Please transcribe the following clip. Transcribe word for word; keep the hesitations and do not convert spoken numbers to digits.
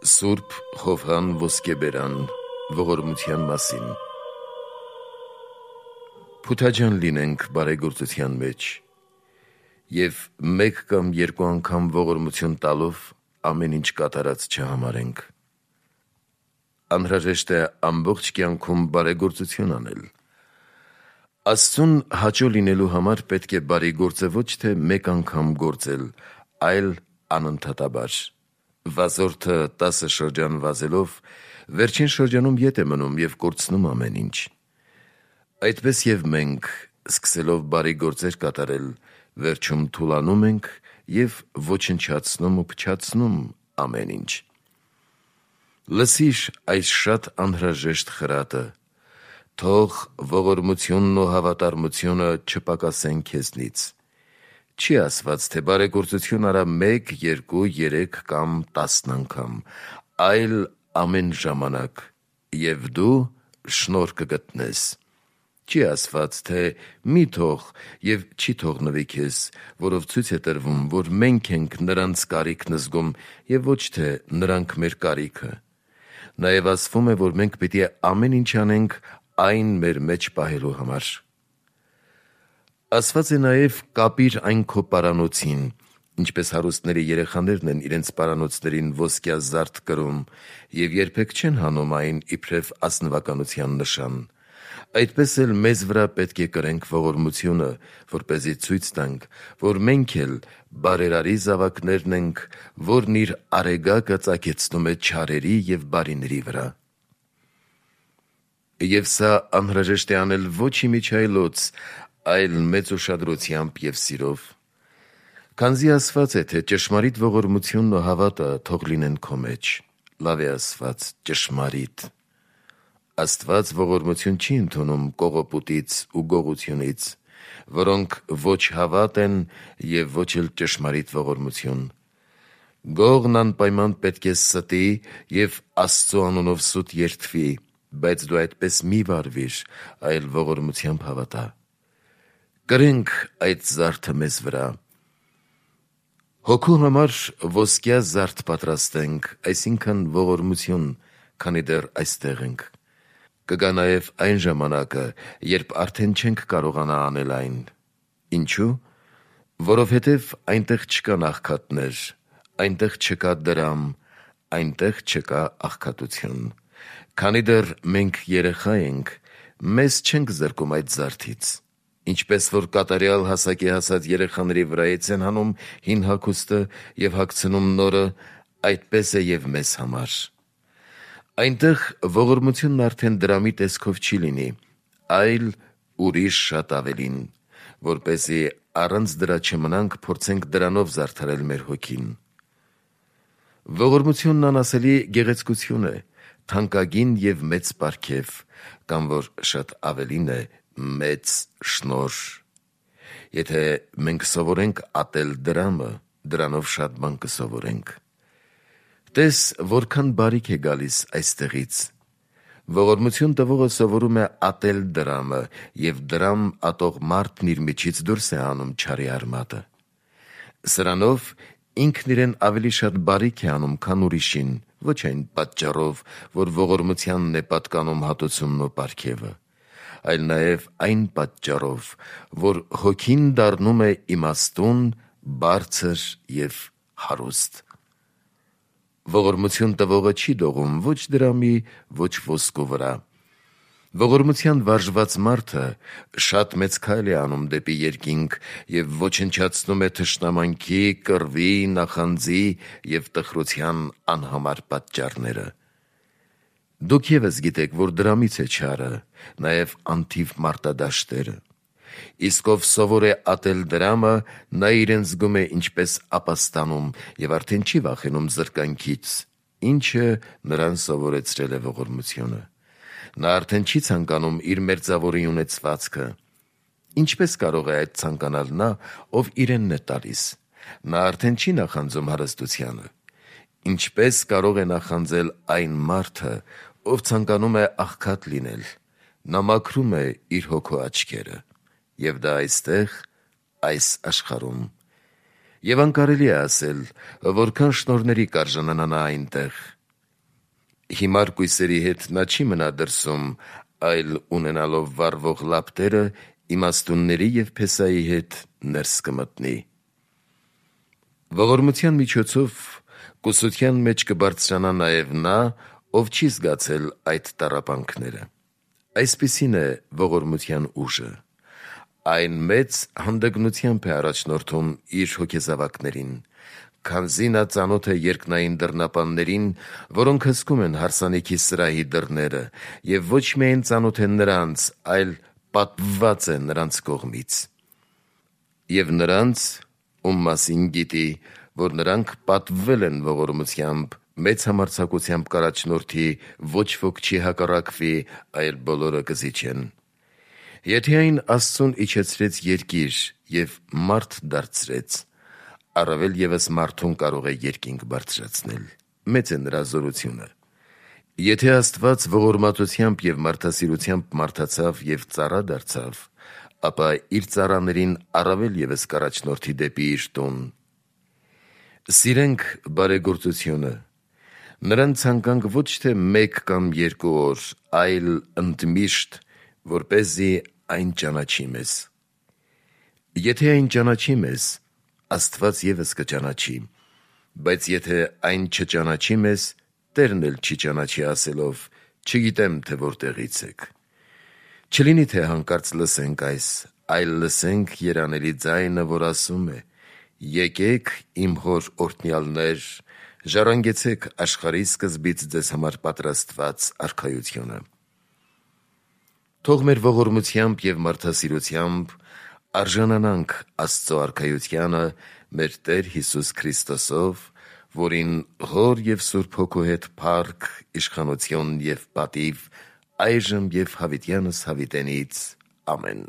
Սուրբ Հովհան Ոսկեբերան ողորմության մասին։ Փութաջան լինենք բարեգործության մեջ և մեկ կամ երկու անգամ ողորմություն տալով ամեն ինչ կատարած չհամարենք։ Անհրաժեշտ է ամբողջ կյանքում բարեգործություն անել։ Աստծուն հաճո լինելու համար պետք է բարի գործը ոչ թե մեկ անգամ գործել, այլ անընդհատաբար։ Վազորդը տասը շրջան վազելով վերջին շրջանում ետ է մնում և կորցնում ամեն ինչ։ Այդպես և մենք, սկսելով բարի գործեր կատարել, վերջում թուլանում ենք և ոչնչացնում ու փչացնում ամեն ինչ։ Լսիր այս շատ անհրաժեշտ խրատը. թող ողորմությունն ու հավատարմությունը չպակասեն քեզնից։ Չի ասված, թե բարեգործություն արա մեկ, երկու, երեք կամ տասն անգամ, այլ ամեն ժամանակ, և դու շնորհ կգտնես։ Չի ասված, թե մի թող և չի թողնվի քեզ, որով ցույց է տրվում, որ մենք ենք նրանց կարիքն զգում և ոչ թե նրանք մեր կարիքը։ Նաև ասվում է, որ մենք պիտի ամեն ինչ անենք այն մեր մեջ պահելու համար։ Ասված է նաև կապիր այն քո պարանոցին, ինչպես հարուստների երեխաներն են իրենց պարանոցներին ոսկյա զարդ կրում և երբեք չեն հանում այն իբրև ազնվականության նշան, այդպես էլ մեզ վրա պետք է կրենք ողորմությունը, որպեսզի ցույց տանք, որ մենք էլ բարերարի զավակներն ենք, որն իր արեգակը ծագեցնում է չարերի և բարիների վրա։ Եվ սա անհրաժեշտ է անել ոչ իմիջիայլոց, այլ մեծ ուշադրությամբ և սիրով։ Քանզի ասված է, թե ճշմարիտ ողորմությունն ու հավատը թող լինեն քո մեջ։ Լավ է ասված ճշմարիտ։ Աստված ողորմություն չի ընդունում կողոպուտից ու գողությունից, որոնք ոչ հավատ են և ոչ էլ ճշմարիտ ողորմություն։ Գողն անպայման պետք է ստի և Աստծու անունով սուտ երդվի, բայց դու այդպես մի վարվիր, այլ ողորմությամբ հավատա։ Կրենք այդ զարդը մեզ վրա։ Հոգու համար ոսկյա զարդ պատրաստենք, այսինքն ողորմություն, քանի դեռ այստեղ ենք։ Կգա նաև այն ժամանակը, երբ արդեն չենք կարողանա անել այն։ Ինչու՞։ Որովհետև այնտեղ չկան աղքատներ, այնտեղ չկա դրամ, այնտեղ չկա աղքատություն։ Քանի դեռ մենք երեխա ենք, մեզ չենք զրկում այդ զարդից։ Ինչպես որ կատարյալ հասակի հասած երեխաների վրայից են հանում հին հագուստը և հագցնում նորը, այդպես է և մեզ համար։ Այնտեղ ողորմությունն արդեն դրամի տեսքով չի լինի, այլ ուրիշ շատ ավելին, որպեսզի առանց դրա չմնանք, փորձենք դրանով զարդարել մեր հոգին։ Ողորմությունն անասելի գեղեցկություն է, թանկագին և մեծ պարգև, կամ որ շատ ավելին է, մեծ շնորհ։ Եթե մենք սովորենք ատել դրամը, դրանով շատ բան կսովորենք։ Տես որքան բարիք է գալիս այստեղից։ Ողորմություն տվողը սովորում է ատել դրամը, և դրամ ատող մարդն իր միջից դուրս է հանում չարի արմատը։ Սրանով ինքն իրեն ավելի շատ բարիք է անում, քան ուրիշին, ոչ այն պատճառով, որ ողորմությանն է պատկանում հատուցումն ու պարգևը, այլ նաև այն պատճառով, որ հոգին դառնում է իմաստուն, բարձր և հարուստ։ Ողորմություն տվողը չի դողում ոչ դրամի, ոչ ոսկու վրա։ Ողորմության վարժված մարդը շատ մեծ քայլ է անում դեպի երկինք և ոչնչացնում է թշնամանքի, կռվի, նախանձի և տխրության անհամար պատճառները։ Դուք ևս գիտեք, որ դրամից է չարը, նաև անթիվ մարտադաշտերը։ Իսկ ով սովոր է ատել դրամը, նա իրեն զգում է ինչպես ապաստանում և արդեն չի վախենում զրկանքից, ինչը նրան սովորեցրել է ողորմությունը։ Նա արդեն չի ցանկանում իր մերձավորի ունեցվածքը։ Ինչպես կարող է այդ ցանկանալ նա, ով իրենն է տալիս։ Նա արդեն չի նախանձում հարստությանը։ Ինչպես կարող է նախանձել այն մարդը, ով ցանկանում է աղքատ լինել։ Նա մաքրում է իր հոգու աչքերը, և դա այստեղ, այս աշխարհում։ Եվ անկարելի է ասել, որքան շնորհների կարժանանա նա այնտեղ։ Հիմար կույսերի հետ նա չի մնա դրսում, այլ ունենալով վառվող լապտերը իմաստունների և փեսայի հետ ներս կմտնի։ Ողորմության միջոցով կուսության մեջ կբարձրանա նաև նա, ով չի զգացել այդ տառապանքները։ Այսպիսին է ողորմության ուժը։ Այն մեծ հանդգնությամբ է առաջնորդում իր հոգեզավակներին, քանզի նա ծանոթ է երկնային դռնապաններին, որոնք հսկում են հարսանիքի սրահի դռները, և ոչ միայն ծանոթ են նրանց, այլ պատվված է նրանց կողմից։ Եվ նրանց, ում մասին գիտի, որ նրանք պատվվել են ողորմությամբ, մեծ համարձակությամբ կառաջնորդի, ոչ ոք չի հակառակվի, այլ բոլորը կզիջեն։ Եթե այն Աստծուն իջեցրեց երկիր և մարդ դարձրեց, առավել ևս մարդուն կարող է երկինք բարձրացնել, մեծ է նրա զորությունը։ Եթե Աստված ողորմածությամբ և մարդասիրությամբ մարդացավ և ծառա դարձավ, ապա իր ծառաներին առավել ևս կառաջնորդի դեպի իր տուն։ Սիրենք բարեգործությունը, նրան ցանկանք ոչ թե մեկ կամ երկու օր, այլ ընդմիշտ, որպեսզի այն ճանաչի մեզ։ Եթե այն ճանաչի մեզ, Աստված ևս կճանաչի, բայց եթե այն չճանաչի մեզ, Տերն էլ չի ճանաչի ասելով. «Չգիտեմ, թե որտեղից եք»։ Չլինի, թե հանկարծ լսենք այս, այլ լսենք երանելի ձայնը, որ ասում է. «Եկեք, իմ հոր օրհնյալներ, ժառանգեցեք աշխարհի սկզբից ձեզ համար պատրաստված արքայությունը»։ Թող մեր ողորմությամբ և մարդասիրությամբ արժանանանք Աստծո արքայությանը մեր Տեր Հիսուս Քրիստոսով, որին Հոր և Սուրբ Հոգու հետ փառք, իշխանություն և պատիվ այժմ և հավիտյանս հավիտենից։ Ամեն։